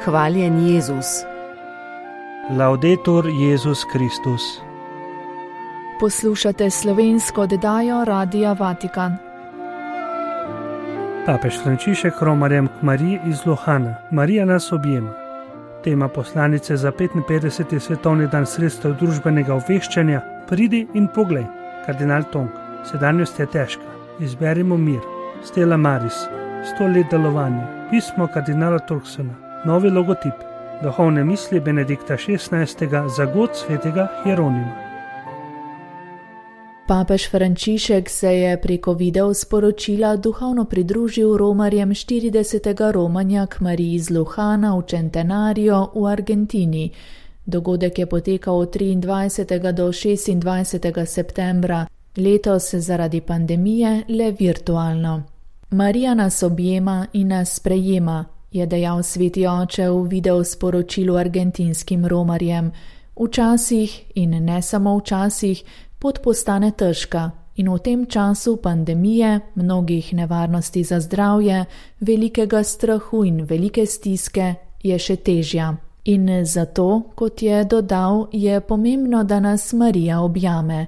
Hvaljen Jezus. Laudetur Jezus Kristus. Poslušate slovensko oddajo Radia Vatikan. Papež Frančišek romarjem k Mariji iz Lohana. Marija nas objema. Tema poslanice za 55. svetovni dan sredstev družbenega obveščanja. Pridi in poglej. Kardinal Tong. Sedanjost je težka. Izberimo mir. Stella Maris. 100 let delovanja. Pismo kardinala Turksona. Novi logotip. Duhovne misli Benedikta XVI. Za god svetega Hieronima. Papež Frančišek se je preko video sporočila duhovno pridružil romarjem 40. romanja k Mariji iz Lohana v Centenario v Argentini. Dogodek je potekal od 23. do 26. septembra, letos zaradi pandemije le virtualno. Marija nas objema in nas sprejema, je dejal sveti oče v video sporočilu argentinskim romarjem. Včasih in ne samo včasih pot postane težka in v tem času pandemije, mnogih nevarnosti za zdravje, velikega strahu in velike stiske je še težja. In zato, kot je dodal, je pomembno, da nas Marija objame.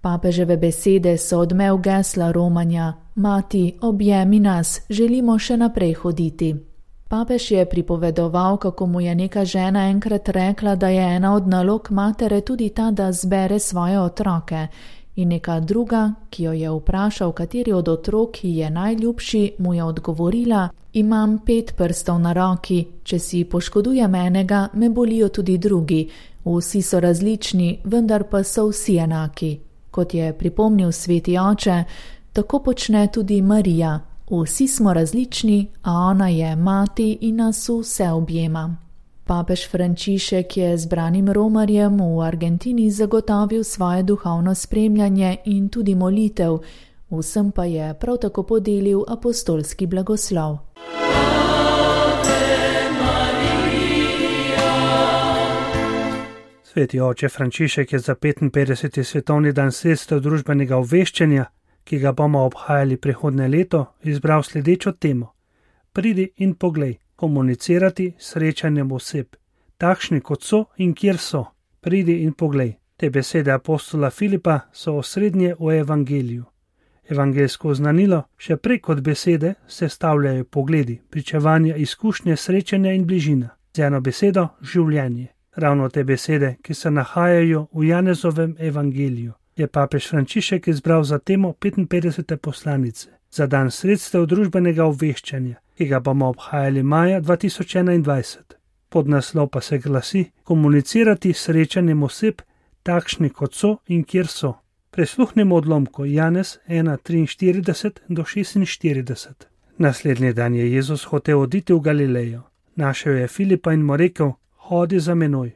Papeževe besede so odmev gesla romanja: Mati, objemi nas, želimo še naprej hoditi. Papež je pripovedoval, kako mu je neka žena enkrat rekla, da je ena od nalog matere tudi ta, da zbere svoje otroke. In neka druga, ki jo je vprašal, kateri od otrok ji je najljubši, mu je odgovorila: Imam 5 prstov na roki, če si poškodujem enega, me bolijo tudi drugi. Vsi so različni, vendar pa so vsi enaki. Kot je pripomnil sveti oče, tako počne tudi Marija. Vsi smo različni, a ona je mati in nas vse objema. Papež Frančišek je zbranim romarjem v Argentini zagotovil svoje duhovno spremljanje in tudi molitev, vsem pa je prav tako podelil apostolski blagoslov. Sveti oče Frančišek je za 55. svetovni dan sredstev družbenega obveščanja, ki ga bomo obhajali prihodnje leto, izbral sledečo temo. Pridi in poglej, komunicirati s srečanjem oseb, takšni kot so in kjer so. Pridi in poglej. Te besede apostola Filipa so osrednje v evangeliju. Evangelsko oznanilo še prej kot besede sestavljajo pogledi, pričevanja, izkušnje, srečanja in bližina. Z eno besedo življenje. Ravno te besede, ki se nahajajo v Janezovem evangeliju, je papež Frančišek izbral za temo 55. poslanice, za dan sredstev družbenega obveščanja, ki ga bomo obhajali maja 2021. Podnaslov pa se glasi: komunicirati s srečanjem oseb, takšni kot so in kjer so. Prisluhnimo odlomku Janez 1:43 do 46. Naslednji dan je Jezus hotel oditi v Galilejo. Našel je Filipa in mu rekel: hodi za menoj.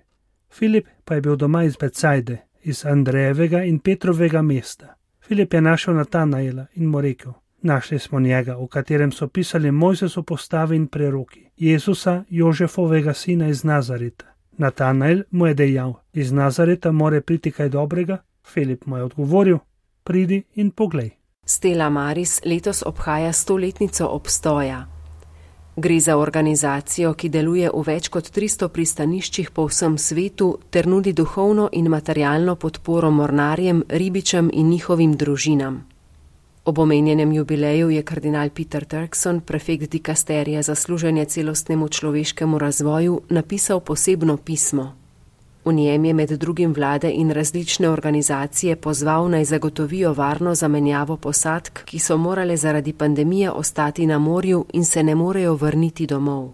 Filip pa je bil doma iz Becajde, iz Andrejevega in Petrovega mesta. Filip je našel Natanaela in mu rekel: našli smo njega, v katerem so pisali Mojzesov postavi in preroki, Jezusa, Jožefovega sina iz Nazareta. Natanael mu je dejal: iz Nazareta more priti kaj dobrega? Filip mu je odgovoril: pridi in poglej. Stella Maris letos obhaja 100-letnico obstoja. Gre za organizacijo, ki deluje v več kot 300 pristaniščih po vsem svetu ter nudi duhovno in materialno podporo mornarjem, ribičem in njihovim družinam. Ob omenjenem jubileju je kardinal Peter Turkson, prefekt dikasterija za služenje celostnemu človeškemu razvoju, napisal posebno pismo. V njem je med drugim vlade in različne organizacije pozval naj zagotovijo varno zamenjavo posadk, ki so morale zaradi pandemije ostati na morju in se ne morejo vrniti domov.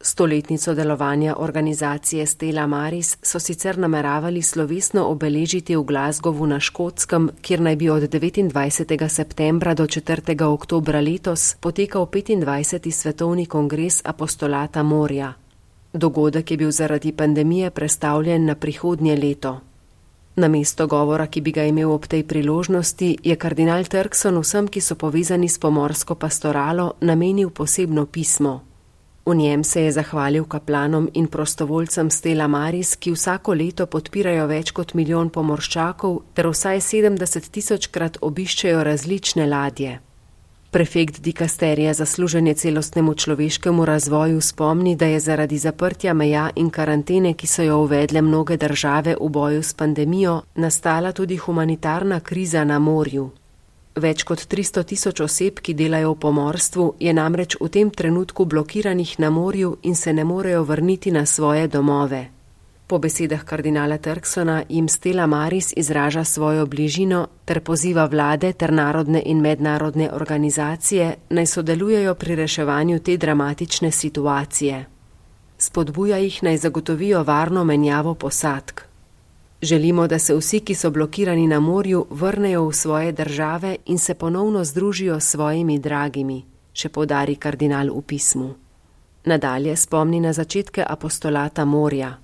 100-letnico delovanja organizacije Stella Maris so sicer nameravali slovesno obeležiti v Glasgowu na Škotskem, kjer naj bi od 29. septembra do 4. oktobra letos potekal 25. svetovni kongres apostolata morja. Dogodek je bil zaradi pandemije prestavljen na prihodnje leto. Namesto govora, ki bi ga imel ob tej priložnosti, je kardinal Turkson vsem, ki so povezani s pomorsko pastoralo, namenil posebno pismo. V njem se je zahvalil kaplanom in prostovoljcem Stella Maris, ki vsako leto podpirajo več kot 1 milijon pomorščakov ter vsaj 70 000-krat obiščejo različne ladje. Prefekt dikasterija za služenje celostnemu človeškemu razvoju spomni, da je zaradi zaprtja meja in karantene, ki so jo uvedle mnoge države v boju s pandemijo, nastala tudi humanitarna kriza na morju. Več kot 300 tisoč oseb, ki delajo v pomorstvu, je namreč v tem trenutku blokiranih na morju in se ne morejo vrniti na svoje domove. Po besedah kardinala Turksona jim Stella Maris izraža svojo bližino ter poziva vlade ter narodne in mednarodne organizacije naj sodelujejo pri reševanju te dramatične situacije. Spodbuja jih naj zagotovijo varno menjavo posadk. Želimo, da se vsi, ki so blokirani na morju, vrnejo v svoje države in se ponovno združijo s svojimi dragimi, še poudari kardinal v pismu. Nadalje spomni na začetke apostolata morja.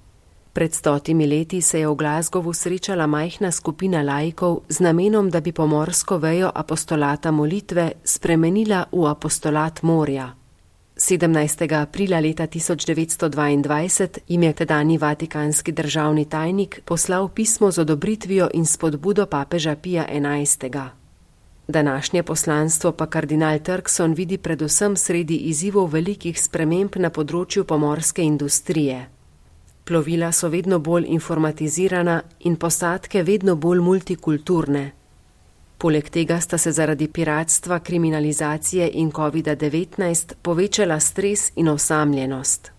Pred 100 leti se je v Glasgowu srečala majhna skupina laikov z namenom, da bi pomorsko vejo apostolata molitve spremenila v apostolat morja. 17. aprila leta 1922 jim je tedanji vatikanski državni tajnik poslal pismo z odobritvijo in spodbudo papeža Pija XI. Današnje poslanstvo pa kardinal Turkson vidi predvsem sredi izzivov velikih sprememb na področju pomorske industrije. Plovila so vedno bolj informatizirana in posadke vedno bolj multikulturne. Poleg tega sta se zaradi piratstva, kriminalizacije in COVID-19 povečala stres in osamljenost.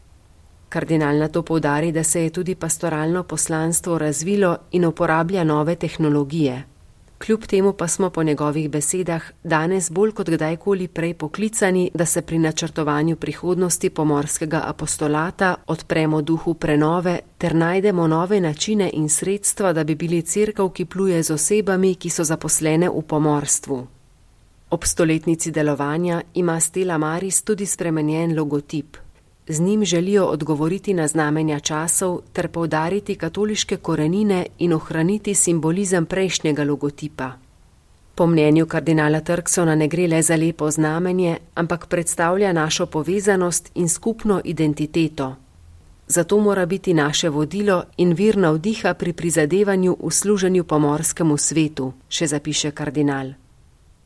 Kardinal nato poudari, da se je tudi pastoralno poslanstvo razvilo in uporablja nove tehnologije. Kljub temu pa smo po njegovih besedah danes bolj kot kdajkoli prej poklicani, da se pri načrtovanju prihodnosti pomorskega apostolata odpremo duhu prenove ter najdemo nove načine in sredstva, da bi bili cerkev, ki pluje z osebami, ki so zaposlene v pomorstvu. Ob 100-letnici delovanja ima Stella Maris tudi spremenjen logotip. Z njim želijo odgovoriti na znamenja časov ter poudariti katoliške korenine in ohraniti simbolizem prejšnjega logotipa. Po mnenju kardinala Turksona ne gre le za lepo znamenje, ampak predstavlja našo povezanost in skupno identiteto. Zato mora biti naše vodilo in vir navdiha pri prizadevanju v služenju pomorskemu svetu, še zapiše kardinal.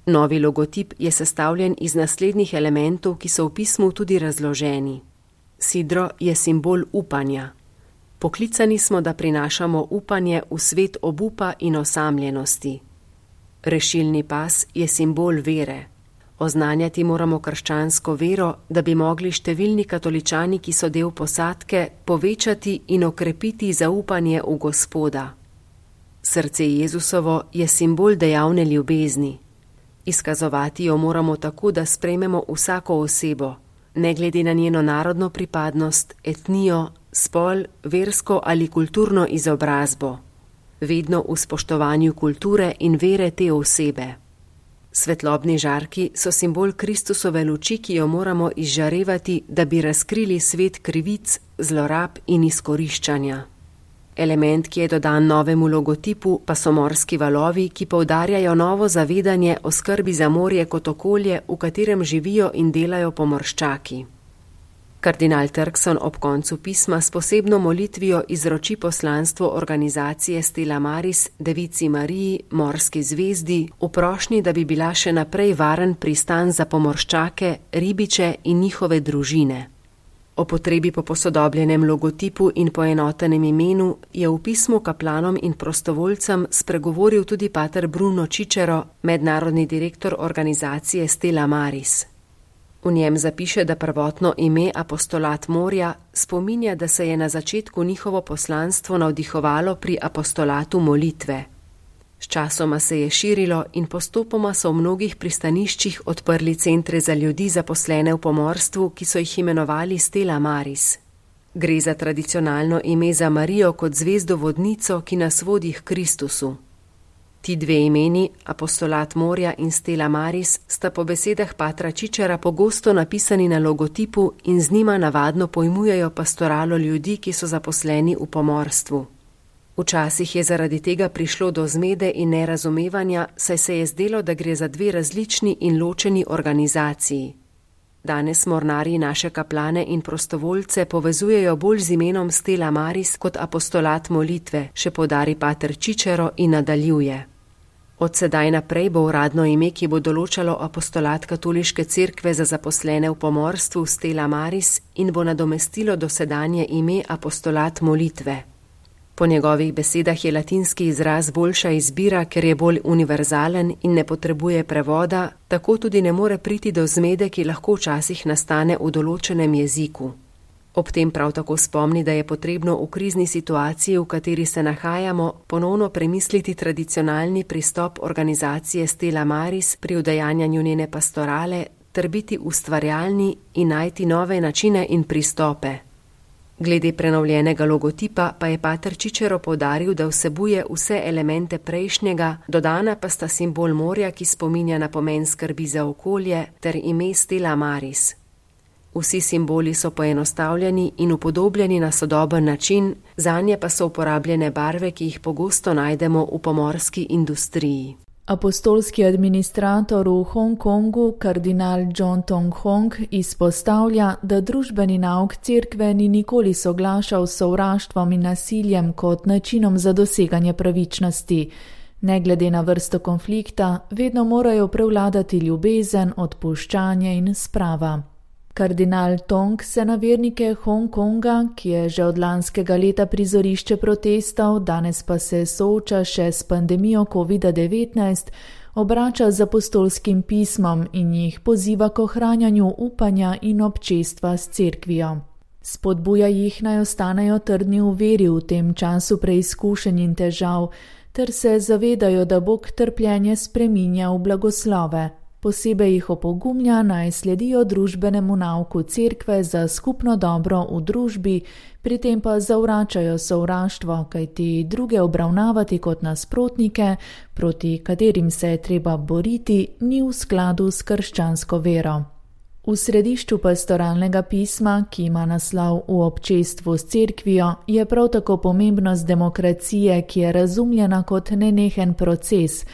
Novi logotip je sestavljen iz naslednjih elementov, ki so v pismu tudi razloženi. Sidro je simbol upanja. Poklicani smo, da prinašamo upanje v svet obupa in osamljenosti. Rešilni pas je simbol vere. Oznanjati moramo krščansko vero, da bi mogli številni katoličani, ki so del posadke, povečati in okrepiti zaupanje v Gospoda. Srce Jezusovo je simbol dejavne ljubezni. Izkazovati jo moramo tako, da sprejmemo vsako osebo, ne glede na njeno narodno pripadnost, etnijo, spol, versko ali kulturno izobrazbo, vedno v spoštovanju kulture in vere te osebe. Svetlobni žarki so simbol Kristusove luči, ki jo moramo izžarevati, da bi razkrili svet krivic, zlorab in izkoriščanja. Element, ki je dodan novemu logotipu, pa so morski valovi, ki poudarjajo novo zavedanje o skrbi za morje kot okolje, v katerem živijo in delajo pomorščaki. Kardinal Turkson ob koncu pisma s posebno molitvijo izroči poslanstvo organizacije Stella Maris Devici Mariji, morski zvezdi, v prošnji, da bi bila še naprej varen pristan za pomorščake, ribiče in njihove družine. O potrebi po posodobljenem logotipu in poenotenem imenu je v pismu kaplanom in prostovoljcem spregovoril tudi pater Bruno Cicero, mednarodni direktor organizacije Stella Maris. V njem zapiše, da prvotno ime apostolat morja spominja, da se je na začetku njihovo poslanstvo navdihovalo pri apostolatu molitve. Sčasoma se je širilo in postopoma so v mnogih pristaniščih odprli centre za ljudi zaposlene v pomorstvu, ki so jih imenovali Stella Maris. Gre za tradicionalno ime za Marijo kot zvezdo vodnico, ki nas vodi k Kristusu. Ti dve imeni, apostolat morja in Stella Maris, sta po besedah patra Cicera pogosto napisani na logotipu in z njima navadno pojmujejo pastoralo ljudi, ki so zaposleni v pomorstvu. Včasih je zaradi tega prišlo do zmede in nerazumevanja, saj se je zdelo, da gre za dve različni in ločeni organizaciji. Danes mornarji naše kaplane in prostovoljce povezujejo bolj z imenom Stella Maris kot apostolat molitve, še poudari pater Cicero in nadaljuje. Od sedaj naprej bo uradno ime, ki bo določalo apostolat Katoliške cerkve za zaposlene v pomorstvu, Stella Maris, in bo nadomestilo dosedanje ime apostolat molitve. Po njegovih besedah je latinski izraz boljša izbira, ker je bolj univerzalen in ne potrebuje prevoda, tako tudi ne more priti do zmede, ki lahko včasih nastane v določenem jeziku. Ob tem prav tako spomni, da je potrebno v krizni situaciji, v kateri se nahajamo, ponovno premisliti tradicionalni pristop organizacije Stella Maris pri udejanjanju njene pastorale ter biti ustvarjalni in najti nove načine in pristope. Glede prenovljenega logotipa pa je pater Čičero poudaril, da vsebuje vse elemente prejšnjega, dodana pa sta simbol morja, ki spominja na pomen skrbi za okolje, ter ime Stella Maris. Vsi simboli so poenostavljeni in upodobljeni na sodoben način, zanje pa so uporabljene barve, ki jih pogosto najdemo v pomorski industriji. Apostolski administrator v Hongkongu, kardinal John Tong Hong, izpostavlja, da družbeni nauk cerkve ni nikoli soglašal s sovraštvom in nasiljem kot načinom za doseganje pravičnosti. Ne glede na vrsto konflikta, vedno morajo prevladati ljubezen, odpuščanje in sprava. Kardinal Tong se na vernike Hongkonga, ki je že od lanskega leta prizorišče protestov, danes pa se sooča še s pandemijo COVID-19, obrača z apostolskim pismom in jih poziva k ohranjanju upanja in občestva s cerkvijo. Spodbuja jih, naj ostanejo trdni v veri v tem času preizkušenj in težav, ter se zavedajo, da Bog trpljenje spreminja v blagoslove. Posebej jih opogumlja, naj sledijo družbenemu nauku cerkve za skupno dobro v družbi, pri tem pa zavračajo sovraštvo, kajti druge obravnavati kot nasprotnike, proti katerim se je treba boriti, ni v skladu s krščansko vero. V središču pastoralnega pisma, ki ima naslov V občestvu s cerkvijo, je prav tako pomembnost demokracije, ki je razumljena kot nenehen proces,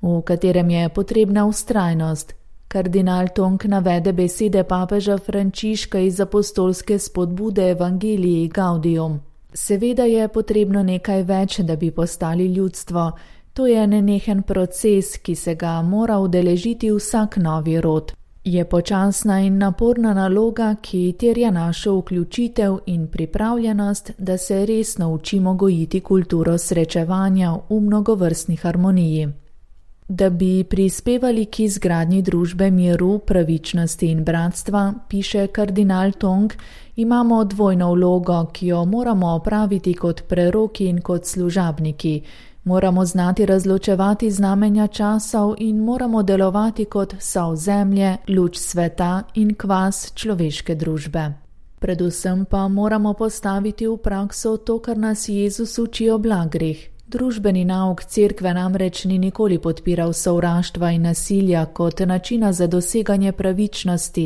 v katerem je potrebna vztrajnost. Kardinal Tong navede besede papeža Frančiška iz apostolske spodbude Evangelii Gaudium. Seveda je potrebno nekaj več, da bi postali ljudstvo. To je nenehen proces, ki se ga mora udeležiti vsak novi rod. Je počasna in naporna naloga, ki terja našo vključitev in pripravljenost, da se resno učimo gojiti kulturo srečevanja v mnogovrstni harmoniji. Da bi prispevali k izgradnji družbe miru, pravičnosti in bratstva, piše kardinal Tong, imamo dvojno vlogo, ki jo moramo opraviti kot preroki in kot služabniki. Moramo znati razločevati znamenja časov in moramo delovati kot sol zemlje, luč sveta in kvas človeške družbe. Predvsem pa moramo postaviti v prakso to, kar nas Jezus uči o blagrih. Družbeni nauk cerkve namreč ni nikoli podpiral sovraštva in nasilja kot načina za doseganje pravičnosti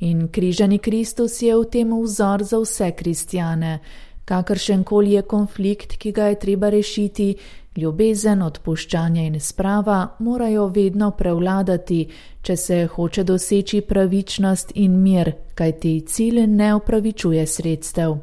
in križani Kristus je v tem vzor za vse kristjane. Kakršenkoli je konflikt, ki ga je treba rešiti, ljubezen, odpuščanje in sprava morajo vedno prevladati, če se hoče doseči pravičnost in mir, kajti cilj ne opravičuje sredstev.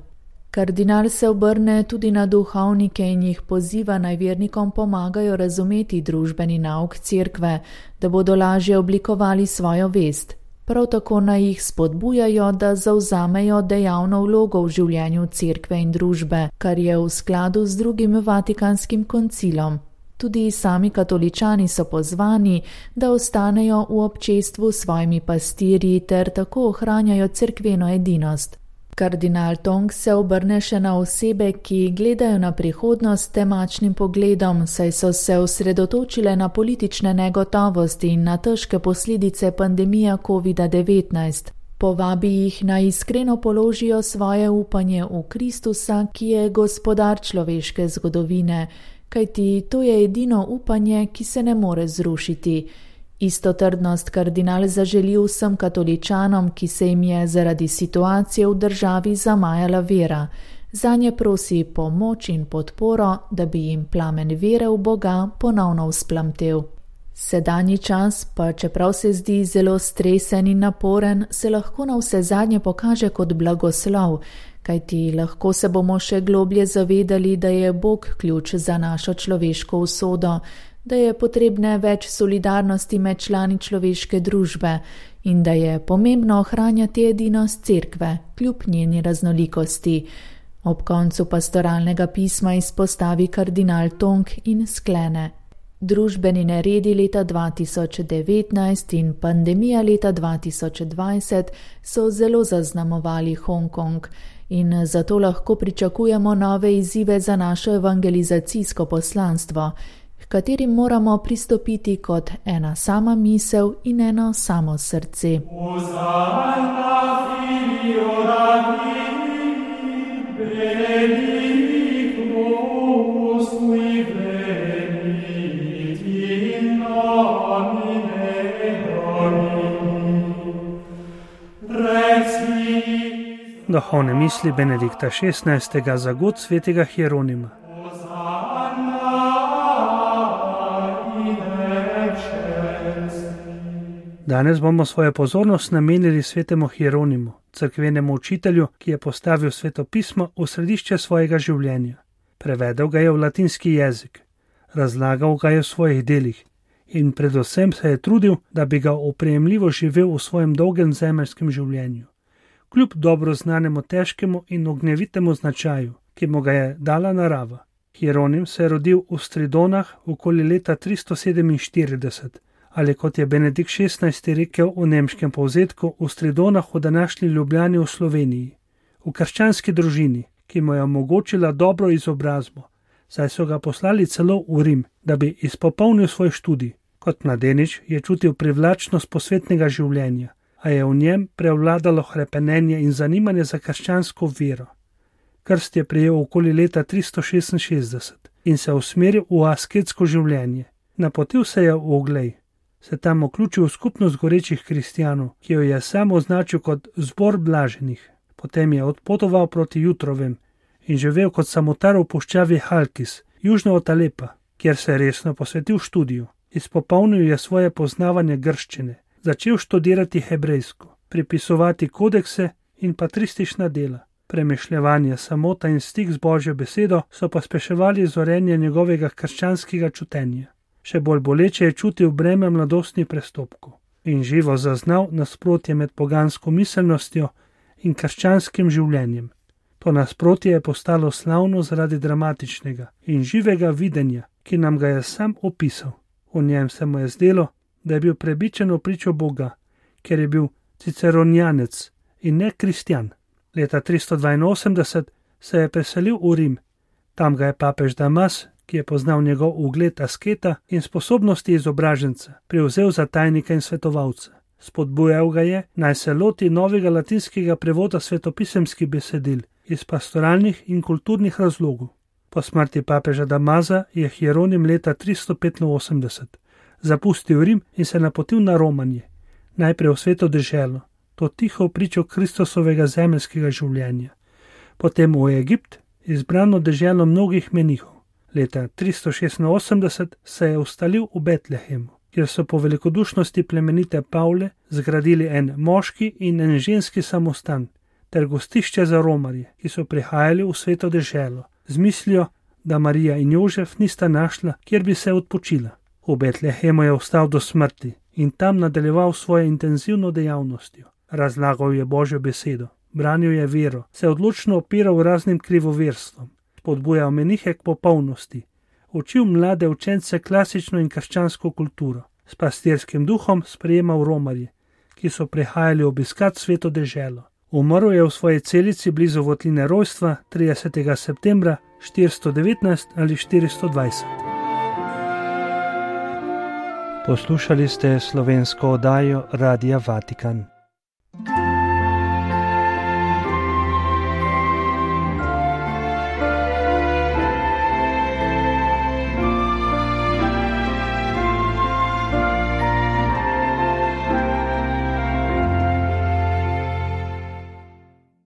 Kardinal se obrne tudi na duhovnike in jih poziva, naj vernikom pomagajo razumeti družbeni nauk cerkve, da bodo lažje oblikovali svojo vest. Prav tako naj jih spodbujajo, da zavzamejo dejavno vlogo v življenju cerkve in družbe, kar je v skladu z drugim Vatikanskim koncilom. Tudi sami katoličani so pozvani, da ostanejo v občestvu s svojimi pastirji ter tako ohranjajo cerkveno edinost. Kardinal Tong se obrne še na osebe, ki gledajo na prihodnost temačnim pogledom, saj so se osredotočile na politične negotovosti in na težke posledice pandemije COVID-19. Povabi jih, naj iskreno položijo svoje upanje v Kristusa, ki je gospodar človeške zgodovine, kajti to je edino upanje, ki se ne more zrušiti. Isto trdnost kardinal zaželi vsem katoličanom, ki se jim je zaradi situacije v državi zamajala vera. Zanje prosi pomoč in podporo, da bi jim plamen vere v Boga ponovno vzplamtel. Sedanji čas, pa čeprav se zdi zelo stresen in naporen, se lahko na vse zadnje pokaže kot blagoslov, kajti lahko se bomo še globlje zavedali, da je Bog ključ za našo človeško usodo, da je potrebne več solidarnosti med člani človeške družbe in da je pomembno ohranjati edinost cerkve, kljub njeni raznolikosti. Ob koncu pastoralnega pisma izpostavi kardinal Tong in sklene: družbeni neredi leta 2019 in pandemija leta 2020 so zelo zaznamovali Hongkong in zato lahko pričakujemo nove izzive za našo evangelizacijsko poslanstvo, h katerim moramo pristopiti kot ena sama misel in eno samo srce. Duhovne misli Benedikta XVI. Za god svetega Hieronima. Danes bomo svojo pozornost namenili svetemu Hieronimu, cerkvenemu učitelju, ki je postavil svetopismo v središče svojega življenja. Prevedel ga je v latinski jezik, razlagal ga je v svojih delih in predvsem se je trudil, da bi ga oprijemljivo živel v svojem dolgem zemeljskem življenju. Kljub dobro znanemu težkemu in ognjevitemu značaju, ki mu ga je dala narava. Hieronim se je rodil v Stridonah okoli leta 347, ali kot je Benedikt XVI. Rekel v nemškem povzetku, v Stridonah v današnji Ljubljani v Sloveniji, v krščanski družini, ki mu je omogočila dobro izobrazbo, saj so ga poslali celo v Rim, da bi izpopolnil svoj študij. Kot mladenič je čutil privlačnost posvetnega življenja, a je v njem prevladalo hrepenenje in zanimanje za krščansko vero. Krst je prejel okoli leta 366 in se usmeril v asketsko življenje. Napotil se je v Oglej, se tam vključil v skupnost gorečih kristjanov, ki jo je sam označil kot zbor blaženih. Potem je odpotoval proti Jutrovem in živel kot samotar v puščavi Halkis, južno od Alepa, kjer se je resno posvetil študiju. Izpopolnil je svoje poznavanje grščine, začel študirati hebrejsko, pripisovati kodekse in patristična dela. Premišljevanje, samota in stik z Božjo besedo so pospeševali zorenje njegovega krščanskega čutenja. Še bolj boleče je čutil breme mladostnih prestopkov in živo zaznal nasprotje med pogansko miselnostjo in krščanskim življenjem. To nasprotje je postalo slavno zaradi dramatičnega in živega videnja, ki nam ga je sam opisal. V njem se mu je zdelo, da je bil prebičen v pričo Boga, ker je bil ciceronjanec in ne kristjan. Leta 382 se je preselil v Rim. Tam ga je papež Damas, ki je poznal njegov ugled asketa in sposobnosti izobraženca, prevzel za tajnika in svetovalca. Spodbujal ga je, naj se loti novega latinskega prevoda svetopisemskih besedil iz pastoralnih in kulturnih razlogov. Po smrti papeža Damaza je Hieronim leta 385 zapustil Rim in se napotil na romanje, najprej v sveto deželo, to tiho pričo Kristusovega zemeljskega življenja, potem v Egipt, izbrano deželo mnogih menihov. Leta 386 se je ustalil v Betlehemu, kjer so po velikodušnosti plemenite Pavle zgradili en moški in en ženski samostan ter gostišče za romarje, ki so prihajali v sveto deželo, z mislijo, da Marija in Jožef nista našla, kjer bi se odpočila. V Betlehemu je ostal do smrti in tam nadaljeval svojo intenzivno dejavnostjo. Razlagal je Božjo besedo, branil je vero, se odločno opiral raznim krivoverstvom, spodbujal menihe k popolnosti, učil mlade učence klasično in krščansko kulturo, s pastirskim duhom sprejemal romarje, ki so prihajali obiskat sveto deželo. Umrl je v svoji celici blizu votline rojstva 30. septembra 419 ali 420. Poslušali ste slovensko oddajo Radia Vatikan.